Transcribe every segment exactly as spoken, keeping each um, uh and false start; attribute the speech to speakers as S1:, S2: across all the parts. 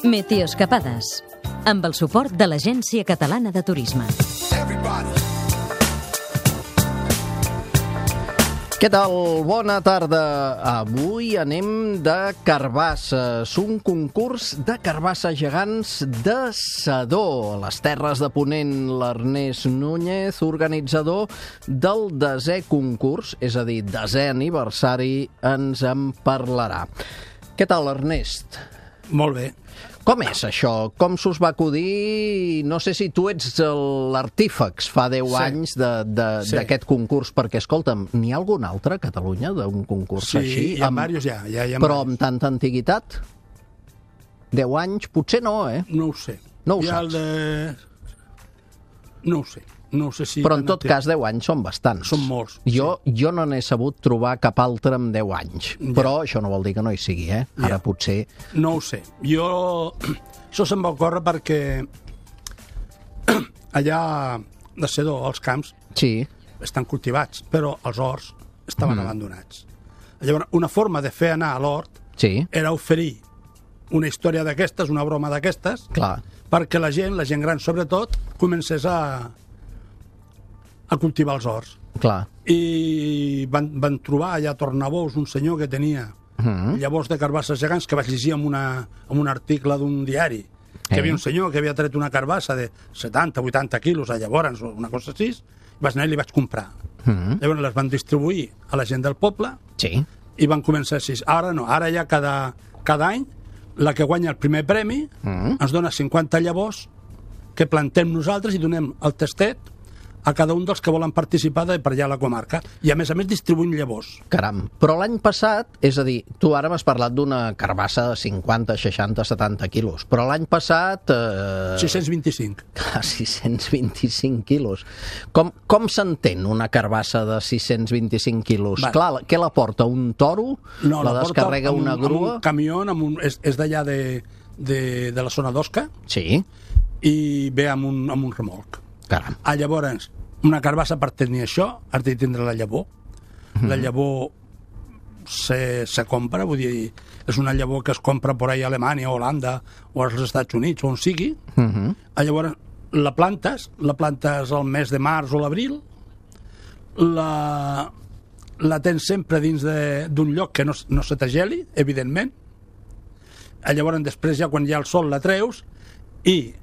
S1: Meteoescapades, amb el suport de l'Agència Catalana de Turisme.
S2: Què tal? Bona tarda. Avui anem de carbasses, un concurs de carbasses gegants de Sedó, a les Terres de Ponent. L'Ernest Núñez, organitzador del desè concurs, és a dir, desè aniversari, ens en parlarà. Què tal, Ernest?
S3: Molt bé.
S2: Com és això? Com s'us va acudir? No sé si tu ets l'artífex fa deu
S3: Sí.
S2: anys d'aquest
S3: Sí.
S2: concurs, perquè, escolta'm, n'hi ha algun altre a Catalunya d'un concurs
S3: Sí,
S2: així?
S3: hi ha diversos ja. ja, hi ha
S2: Però
S3: diversos.
S2: amb tanta antiguitat? Deu anys? Potser no, eh?
S3: No ho sé.
S2: No ho
S3: Hi ha el
S2: saps.
S3: de... No ho sé. No ho sé si...
S2: Però en tot cas, deu anys són bastants.
S3: Són molts,
S2: Jo, jo no n'he sabut trobar cap altre amb deu anys.
S3: Ja.
S2: Però això no vol dir que no hi sigui, eh? Ara
S3: Ja.
S2: potser...
S3: No ho sé. Jo... Això se'm va ocórrer perquè allà de Sedó, als camps,
S2: Sí.
S3: estan cultivats, però els horts estaven
S2: Mm.
S3: abandonats. Llavors, una forma de fer anar a l'hort
S2: Sí,
S3: era oferir una història d'aquestes, una broma d'aquestes,
S2: clar.
S3: perquè la gent, la gent gran sobretot, comencés a, a cultivar els horts.
S2: Clar.
S3: I van, van trobar allà a Tornabous un senyor que tenia
S2: Mm.
S3: llavors de carbasses gegants, que vaig llegir en, una, en un article d'un diari, que
S2: Eh.
S3: hi havia un senyor que havia tret una carbassa de setanta vuitanta quilos a llavors, o una cosa així, vaig anar i li vaig comprar.
S2: Mm.
S3: Llavors les van distribuir a la gent del poble
S2: Sí.
S3: i van començar així. Ara no, ara ja cada, cada any la que guanya el primer premi
S2: Mm.
S3: ens dona cinquanta llavors que plantem nosaltres i donem el tastet a cada un dels que volen participar de per allà a la comarca. I a més a més distribuïm llavors.
S2: Caram. Però l'any passat, és a dir, tu ara m'has parlat d'una carbassa de cinquanta, seixanta, setanta quilos, però l'any passat... Eh...
S3: sis-cents vint-i-cinc.
S2: Ah, sis-cents vint-i-cinc quilos. Com, com s'entén una carbassa de sis-cents vint-i-cinc quilos?
S3: Vale.
S2: Clar, què la porta? Un toro?
S3: No,
S2: la
S3: la porta
S2: descarrega
S3: amb un-
S2: una grua?
S3: Amb un camió, amb un, és, és d'allà de, de, de la zona d'Osca
S2: Sí,
S3: i ve amb un, amb un remolc.
S2: caram.
S3: Ah, llavors, una carbassa per tenir això has de tindre la llavor. La llavor se, se compra, vull dir, és una llavor que es compra por ahí a Alemanya, o Holanda, o als Estats Units, o on sigui.
S2: Uh -huh.
S3: Ah, llavors, la plantes, la plantes al mes de març o l'abril, la, la tens sempre dins de- d'un lloc que no, no se t'ageli, evidentment. Ah, llavors, després, ja quan hi ha el sol, la treus, i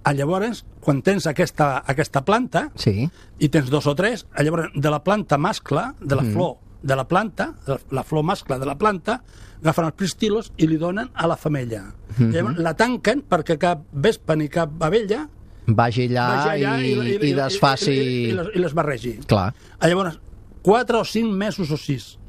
S3: ah, llavors, quan tens aquesta, aquesta planta,
S2: Sí,
S3: i tens dos o tres, ah, llavors, de la planta mascle, de la
S2: Mm.
S3: flor de la planta, de la, la flor mascle de la planta, agafen els pistilos i li donen a la femella.
S2: Mhm.
S3: Llavors, la tanquen perquè cap vespa ni cap abella
S2: vagi allà,
S3: vagi allà
S2: i, i, desfaci...
S3: i, i, i, les, i les barregi.
S2: Clar.
S3: Ah, llavors, quatre o cinc mesos o sis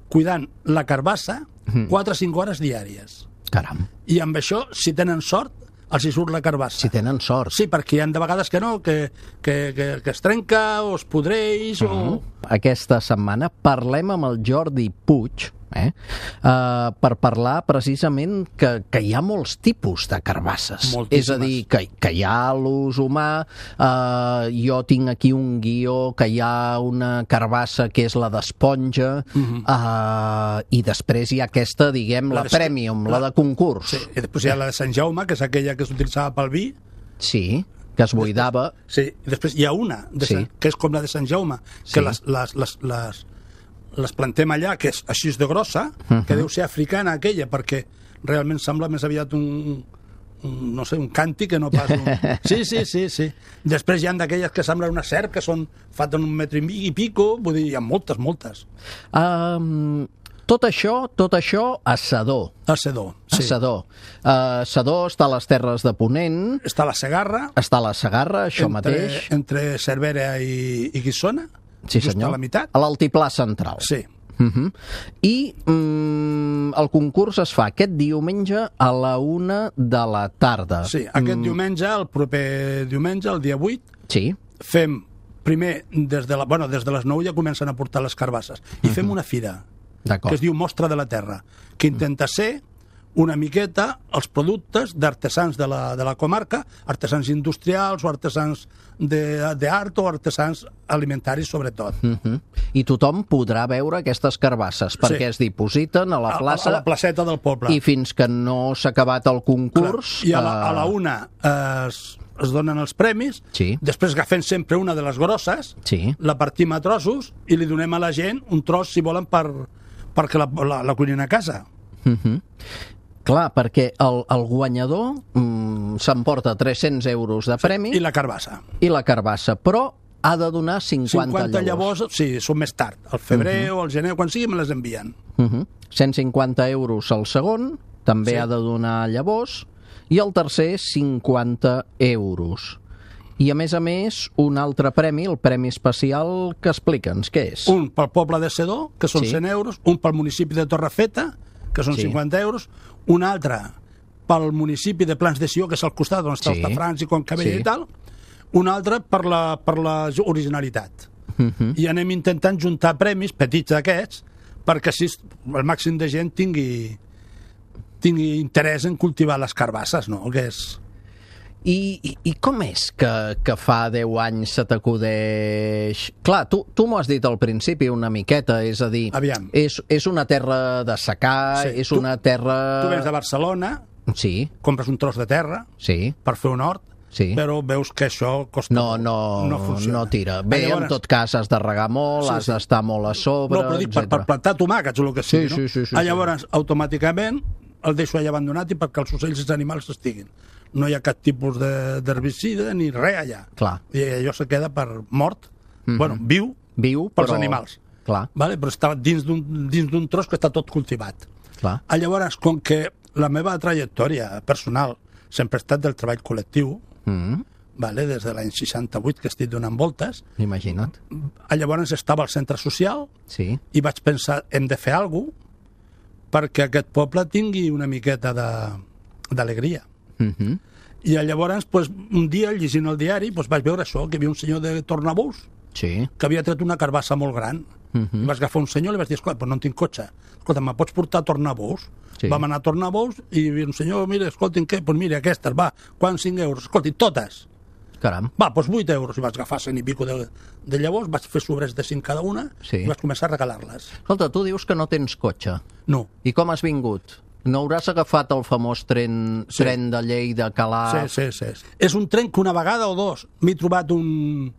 S3: cuidant la carbassa,
S2: Mhm.
S3: quatre o cinc hores diàries.
S2: Caram.
S3: I amb això, si tenen sort, els hi surt la carbassa.
S2: Si tenen sort.
S3: Sí, perquè hi ha de vegades que no, que, que, que, que es trenca o es podreix o...
S2: Aquesta setmana parlem amb el Jordi Puig, eh? Uh, per parlar precisament que, que hi ha molts tipus de carbasses.
S3: Moltíssimes.
S2: És a dir, que, que hi ha l'ús humà, uh, jo tinc aquí un guió que hi ha una carbassa que és la d'esponja,
S3: Mhm.
S2: uh, i després hi ha aquesta, diguem, la,
S3: La de-
S2: premium, la,
S3: la-
S2: de concurs.
S3: Sí, i després hi ha la de Sant Jaume, que és aquella que s'utilitzava pel vi.
S2: Sí, que es buidava.
S3: Sí, i després hi ha una, de
S2: Sí.
S3: Sant, que és com la de Sant Jaume,
S2: Sí.
S3: que les, les, les, les, les plantem allà, que és així de grossa,
S2: Mhm.
S3: que deu ser africana aquella, perquè realment sembla més aviat un, un no sé, un càntic que no pas un... Sí, sí, sí, sí. Després hi ha d'aquelles que semblen una serp, que són faten un metre i mig i pico, vull dir, hi ha moltes, moltes.
S2: Um, tot això, tot això a Sedó.
S3: A Sedó,
S2: A
S3: sí.
S2: Sedó. Uh, Sedó està a les Terres de Ponent,
S3: Està la Segarra,
S2: està a la Segarra, això
S3: entre,
S2: mateix.
S3: entre Cervera i, i Guissona,
S2: Sí,
S3: just
S2: senyor.
S3: a la meitat.
S2: A l'altiplà central.
S3: Sí.
S2: Uh -huh. I mm, el concurs es fa aquest diumenge a la una de la tarda.
S3: Sí, aquest mm. diumenge, el proper diumenge, el dia vuit,
S2: Sí,
S3: fem primer, des de, la, bueno, des de les nou ja comencen a portar les carbasses, i fem una fira, que
S2: d'acord.
S3: es diu Mostra de la Terra, que intenta ser una miqueta els productes d'artesans de la, de la comarca, artesans industrials o artesans d'art o artesans alimentaris, sobretot.
S2: Uh-huh. I tothom podrà veure aquestes carbasses, perquè sí. es dipositen a la plaça...
S3: A, a la placeta del poble.
S2: I fins que no s'ha acabat el concurs...
S3: Clar. I a la, a la una eh, es, es donen els premis,
S2: sí.
S3: després agafem sempre una de les grosses,
S2: sí.
S3: la partim a trossos i li donem a la gent un tros, si volen, per, perquè la, la, la cuinin a casa.
S2: Uh-huh. Clar, perquè el, el guanyador mm, s'emporta tres-cents euros de premi...
S3: Sí, i la carbassa.
S2: I la carbassa, però ha de donar cinquanta,
S3: cinquanta llavors. llavors. Sí, són més tard, al febrer uh-huh. o al gener, quan sigui, me les envien.
S2: Uh-huh. cent cinquanta euros al segon, també sí. ha de donar llavors, i el tercer, cinquanta euros. I, a més a més, un altre premi, el premi especial, que explica'ns, què és?
S3: Un pel poble de Sedó, que són
S2: sí.
S3: cent euros, un pel municipi de Torrefeta, que són sí. cinquanta euros, un altre pel municipi de Plans de Sió, que és al costat on està sí. els Tafrans i Concabella sí. i tal, un altre per la, per la originalitat. Uh-huh. I anem intentant juntar premis petits d'aquests perquè així el màxim de gent tingui, tingui interès en cultivar les carbasses, no? Que és...
S2: I, i, I com és que, que fa deu anys se t'acudeix... Clar, tu, tu m'ho has dit al principi una miqueta, és a dir,
S3: Aviam.
S2: és, és una terra de secà, sí. és
S3: tu,
S2: una terra...
S3: Tu vens de Barcelona,
S2: sí.
S3: compres un tros de terra
S2: sí.
S3: per fer un hort,
S2: sí.
S3: però veus que això costa
S2: no, no,
S3: no funciona.
S2: No tira. Bé,
S3: llavors...
S2: en tot cas, has de regar molt, sí, has sí. d'estar molt a sobre,
S3: no, però dic, per, per plantar tomàquets o el que sigui,
S2: sí,
S3: no?
S2: Sí, sí, sí,
S3: ah, llavors, sí. automàticament, el deixo allà abandonat i perquè els ocells i els animals estiguin. No hi ha cap tipus d'herbicida ni res allà.
S2: Clar.
S3: I allò se queda per mort, mm-hmm. bueno, viu,
S2: viu
S3: pels
S2: però...
S3: animals.
S2: Clar.
S3: Vale? Però està dins d'un tros que està tot cultivat.
S2: Clar.
S3: Ah, llavors, com que la meva trajectòria personal sempre ha estat del treball col·lectiu, mm-hmm. vale? Des de l'any seixanta-vuit que estic donant voltes,
S2: imagina't.
S3: Llavors estava al centre social
S2: sí.
S3: i vaig pensar, hem de fer alguna cosa perquè aquest poble tingui una miqueta d'alegria.
S2: Uh-huh.
S3: I llavors, pues, un dia, llegint el diari, pues, vaig veure això, que hi havia un senyor de Tornabous
S2: sí.
S3: que havia tret una carbassa molt gran. Uh-huh. I vaig agafar un senyor i li vaig dir, escolta, pues no en tinc cotxe. Escolta, me pots portar a Tornabous? Sí. Vam anar a Tornabous i hi havia un senyor, mira, escolti'm, què? Pues mira, aquestes, va, quan cinc euros? Escolti, totes.
S2: Caram.
S3: Va, doncs vuit euros. I vaig agafar cent i pico de, de llavors, vaig fer sobres de cinc cada una sí. i vaig començar a regalar-les.
S2: Escolta, tu dius que no tens cotxe.
S3: No.
S2: I com has vingut? No hauràs agafat el famós tren, sí. tren de Lleida, Calaf?
S3: Sí, sí, sí. És un tren que una vegada o dos m'he trobat un...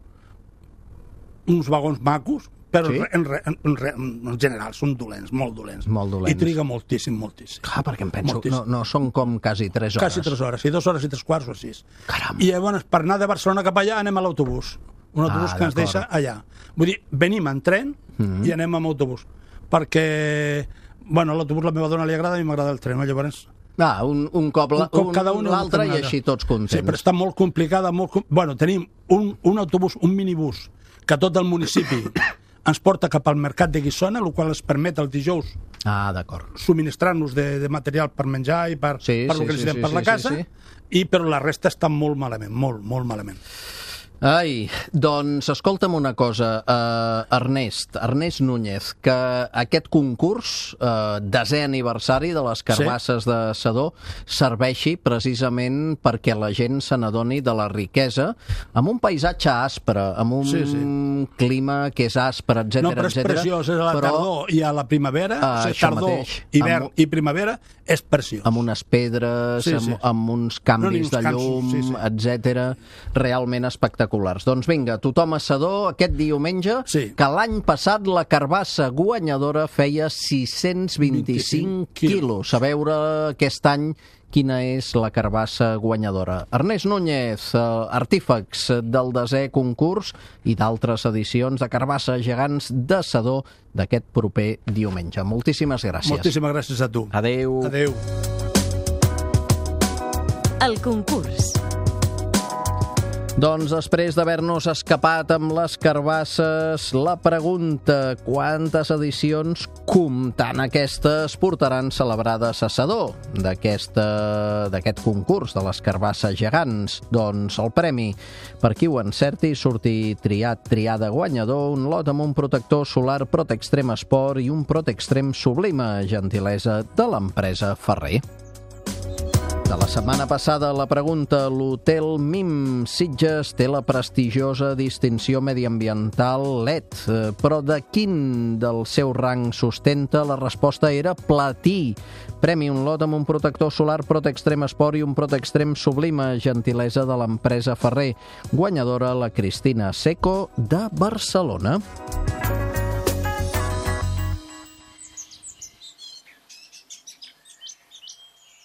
S3: uns vagons macos, però sí? en, en, en, en general són dolents, molt dolents.
S2: Molt dolents.
S3: I triga moltíssim, moltíssim.
S2: Clar, perquè em penso, no, no són com quasi tres hores.
S3: Quasi tres hores, sí, dues hores i tres quarts o sis.
S2: Caram.
S3: I llavors, per anar de Barcelona cap allà, anem a l'autobús. Un autobús ah, que ens deixa allà. Vull dir, venim en tren mm-hmm. i anem amb autobús. Perquè, bueno, a l'autobús la meva dona li agrada i m'agrada el tren, llavors...
S2: Ah, un, un cop la, un,
S3: cada un
S2: l'altre i així tots contents.
S3: Sí, però està molt complicada. Molt, bueno, tenim un, un autobús, un minibús, que tot el municipi ens porta cap al mercat de Guissona, el qual ens permet els dijous
S2: ah,
S3: subministrar-nos de, de material per menjar i per,
S2: sí,
S3: per
S2: sí,
S3: el que necessitem
S2: sí,
S3: per
S2: sí,
S3: la casa,
S2: sí, sí.
S3: I però la resta està molt malament, molt, molt malament.
S2: Ai, doncs escolta'm una cosa, uh, Ernest, Ernest Núñez, que aquest concurs, uh, desè aniversari de les carbasses sí. de Sedó, serveixi precisament perquè la gent se n'adoni de la riquesa, amb un paisatge aspre, amb un sí, sí. clima que és aspre, etcètera.
S3: No, però és etcètera, preciós, és a la però, tardor i a la primavera, uh, o sigui, tardor, mateix, hivern amb, i primavera, és preciós. Amb
S2: unes pedres, sí, sí. Amb, amb uns canvis no, de llum, sí, sí. etcètera, realment espectaculars. Doncs vinga, tothom a Sedó aquest diumenge, sí. que l'any passat la carbassa guanyadora feia sis-cents vint-i-cinc quilos. A veure aquest any quina és la carbassa guanyadora. Ernest Núñez, artífex del desè concurs i d'altres edicions de carbassa gegants de Sedó d'aquest proper diumenge. Moltíssimes gràcies.
S3: Moltíssimes gràcies a tu.
S2: Adéu.
S3: Adéu.
S1: El concurs.
S2: Doncs després d'haver-nos escapat amb les carbasses, la pregunta: quantes edicions, comptant aquestes, portaran celebrades a Sedó d'aquest concurs de les carbasses gegants? Doncs el premi, per qui ho encerti, sortir triat, triada guanyador, un lot amb un protector solar Protextrem Sport i un Protextrem Sublime, gentilesa de l'empresa Ferrer. De la setmana passada, la pregunta: l'Hotel Mim Sitges té la prestigiosa distinció mediambiental L E D, però de quin del seu rang sustenta? La resposta era platí. Premi un lot amb un protector solar Protextrem Sport i un Protextrem Sublime, gentilesa de l'empresa Ferrer. Guanyadora la Cristina Seco de Barcelona.